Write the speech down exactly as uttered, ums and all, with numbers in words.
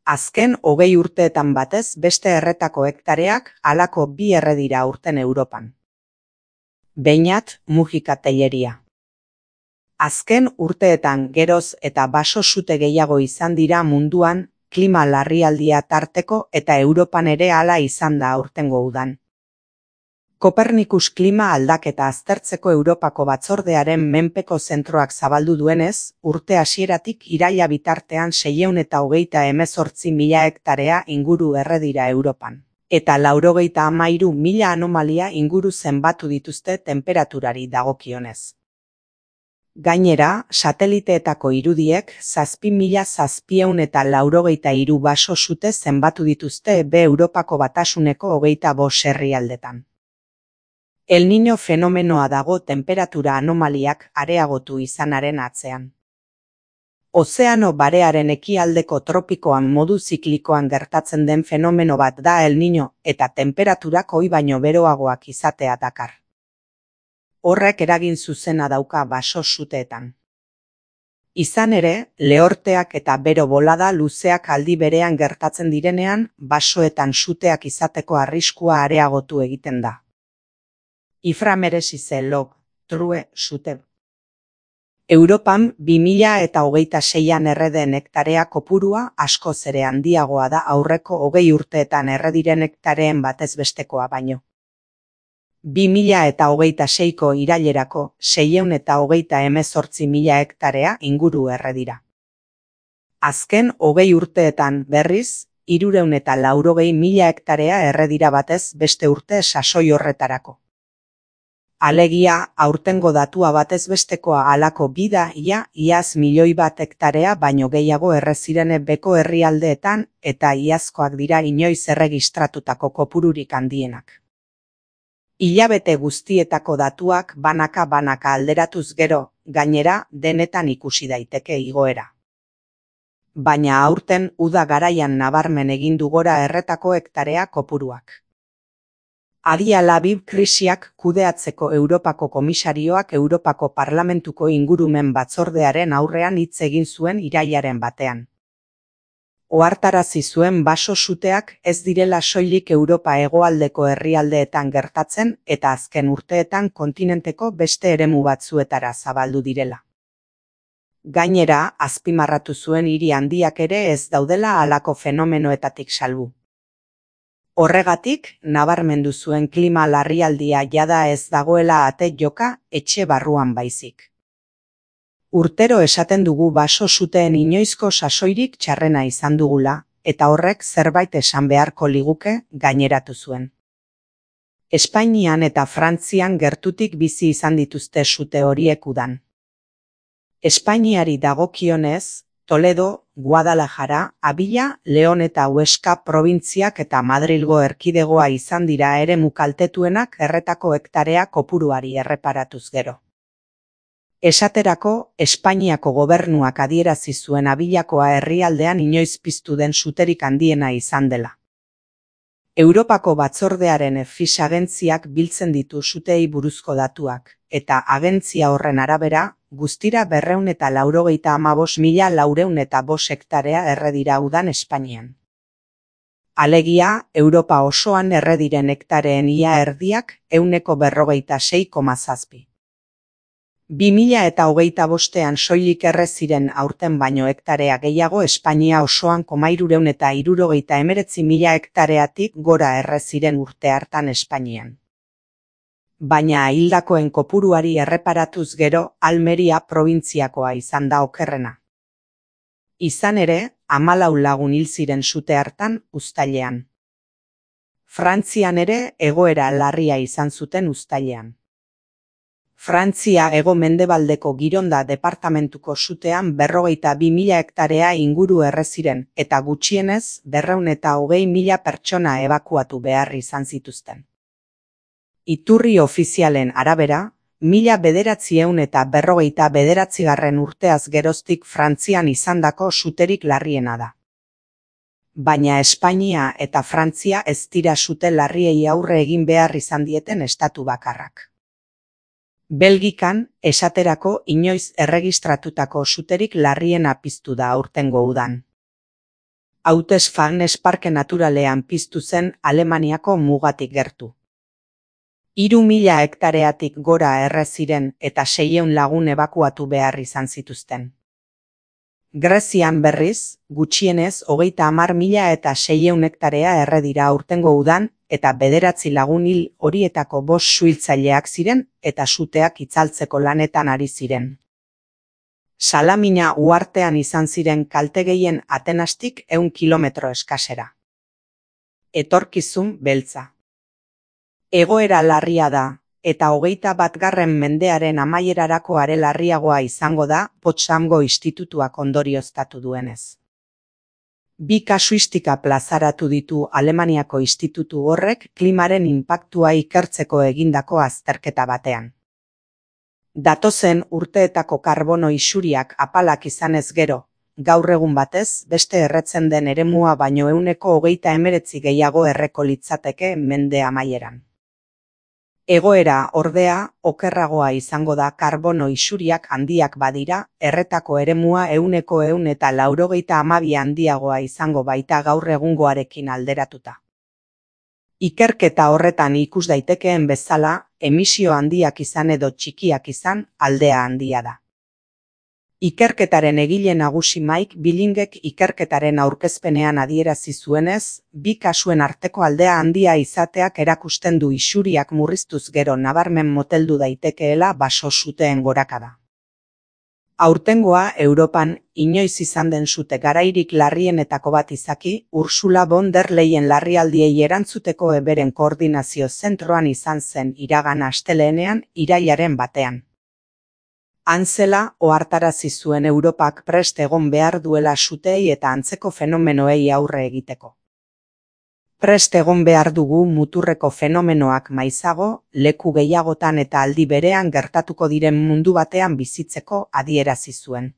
Azken hogei urteetan batez beste erretako hektareak halako bi erre dira aurten Europan. Beñat Mujika Tellería. Azken urteetan geroz eta baso sute gehiago izan dira munduan, klima larrialdia tarteko eta Europan ere hala izan da aurtengo udan. Kopernikus klima aldaketa aztertzeko Europako batzordearen menpeko zentroak zabaldu duenez, urte hasieratik iraila bitartean seiehun eta hogeita hemezortzi mila hektarea inguru erre dira Europan. Eta laurogeita hamairu mila anomalia inguru zenbatu dituzte tenperaturari dagokionez. Gainera, sateliteetako irudiek zazpi mila zazpiehun eta laurogeita hiru baso sute zenbatu dituzte be Europako Batasuneko hogeita bost herrialdetan. El Niño fenomenoa dago tenperatura anomaliak areagotu izanaren atzean. Ozeano barearen ekialdeko tropikoan modu ziklikoan gertatzen den fenomeno bat da El Niño eta tenperaturak ohi baino beroagoak izatea dakar. Horrek eragin zuzena dauka baso suteetan. Izan ere, lehorteak eta bero bolada luzeak aldi berean gertatzen direnean, basoetan suteak izateko arriskua areagotu egiten da. Iframeresize log, true, sute. Europan bi mila eta hogeita seian erre den hektarea kopurua askoz ere handiagoa da aurreko hogei urteetan erre diren hektareen batez bestekoa baino. bi mila eta hogeita seiko irailerako seiehun eta hogeita hemezortzi mila hektarea inguru erre dira. Azken hogei urteetan berriz, hirurehun eta laurogei mila hektarea erre dira batez beste urte sasoi horretarako. Alegia, aurtengo datua batez bestekoa halako bida ia iaz milioi bat hektarea baino gehiago erre ziren beko herrialdeetan eta iazkoak dira inoiz erregistratutako kopururik handienak. Hilabete guztietako datuak banaka-banaka alderatuz gero, gainera, denetan ikusi daiteke igoera. Baina aurten uda garaian nabarmen egin du gora erretako hektarea kopuruak. Adi Labib krisiak kudeatzeko Europako komisarioak Europako Parlamentuko ingurumen batzordearen aurrean hitz egin zuen irailaren batean. Ohartarazi zuen baso suteak ez direla soilik Europa hegoaldeko herrialdeetan gertatzen eta azken urteetan kontinenteko beste eremu batzuetara zabaldu direla. Gainera, azpimarratu zuen hiri handiak ere ez daudela halako fenomenoetatik salbu. Horregatik, nabarmendu zuen klima larrialdia jada ez dagoela ate joka etxe barruan baizik. Urtero esaten dugu baso suteen inoizko sasoirik txarrena izan dugula, eta horrek zerbait esan beharko liguke gaineratu zuen. Espainian eta Frantzian gertutik bizi izan dituzte sute horiek udan. Espainiari dagokionez, Toledo, Guadalajara, Abila, Leon eta Huesca probintziak eta Madrilgo erkidegoa izan dira eremu kaltetuenak erretako hektarea kopuruari erreparatuz gero. Esaterako, Espainiako gobernuak adierazi zuen Abilakoa herrialdean inoiz piztu den suterik handiena izan dela. Europako batzordearen Fish agentziak biltzen ditu sutei buruzko datuak, eta agentzia horren arabera, guztira berrehun eta laurogeita hamabost mila laurehun eta bost hektarea erre dira udan Espainian. Alegia, Europa osoan erre diren hektareen ia erdiak ehuneko berrogeita sei koma zazpi. bi mila eta hogeita bostean soilik erre ziren aurten baino hektarea gehiago Espainia osoan komairureun eta hirurogeita hemeretzi mila hektareatik gora erre ziren urte hartan Espainian. Baina hildakoen kopuruari erreparatuz gero Almeria probintziakoa izan da okerrena. Izan ere, hamalau lagun hil ziren sute hartan uztailean. Frantzian ere egoera larria izan zuten uztailean. Frantzia hego-mendebaldeko Gironda departamentuko sutean berrogeita bi mila hektarea inguru erre ziren eta gutxienez berrehun eta hogei mila pertsona ebakuatu behar izan zituzten. Iturri ofizialen arabera, mila bederatziehun eta berrogeita bederatzigarren urteaz geroztik Frantzian izandako suterik larriena da. Baina Espainia eta Frantzia ez dira sute larriei aurre egin behar izan dieten estatu bakarrak. Belgikan, esaterako inoiz erregistratutako suterik larriena piztu da aurtengo udan. Hautesfagnes parke naturalean piztu zen Alemaniako mugatik gertu. Hiru mila hektareatik gora erre ziren eta seiehun lagun ebakuatu behar izan zituzten. Grezian berriz, gutxienez hogeita hamar mila eta seiehun hektarea erre dira aurtengo udan eta bederatzi lagun hil horietako bost suhiltzaileak ziren eta suteak itzaltzeko lanetan ari ziren. Salamina uhartean izan ziren kalte gehien Atenastik ehun kilometro eskasera. Etorkizun beltza. Egoera larria da, eta hogeita batgarren mendearen amaierarako are larriagoa izango da Potsdamgo institutuak ondorioztatu duenez. Bi kasuistika plazaratu ditu Alemaniako institutu horrek klimaren inpaktua ikertzeko egindako azterketa batean. Datozen urteetako karbono isuriak apalak izanez gero, gaur egun batez beste erretzen den eremua baino ehuneko hogeita hemeretzi gehiago erreko litzateke mende amaieran. Egoera, ordea, okerragoa izango da karbono isuriak handiak badira, erretako eremua ehuneko ehun eta laurogeita hamabi handiagoa izango baita gaur egungoarekin alderatuta. Ikerketa horretan ikus daitekeen bezala, emisio handiak izan edo txikiak izan, aldea handia da. Ikerketaren egile nagusi Mike Billingek ikerketaren aurkezpenean adierazi zuenez, bi kasuen arteko aldea handia izateak erakusten du isuriak murriztuz gero nabarmen moteldu daitekeela baso suteen gorakada. Aurtengoa Europan inoiz izan den sute garairik larrienetako bat izaki, Ursula von der Leyen larrialdiei erantzuteko eberen koordinazio zentroan izan zen iragan asteleenean irailaren batean. Antzela ohartarazi zuen Europak prest egon behar duela suteei eta antzeko fenomenoei aurre egiteko. Prest egon behar dugu muturreko fenomenoak maizago, leku gehiagotan eta aldi berean gertatuko diren mundu batean bizitzeko adierazi zuen.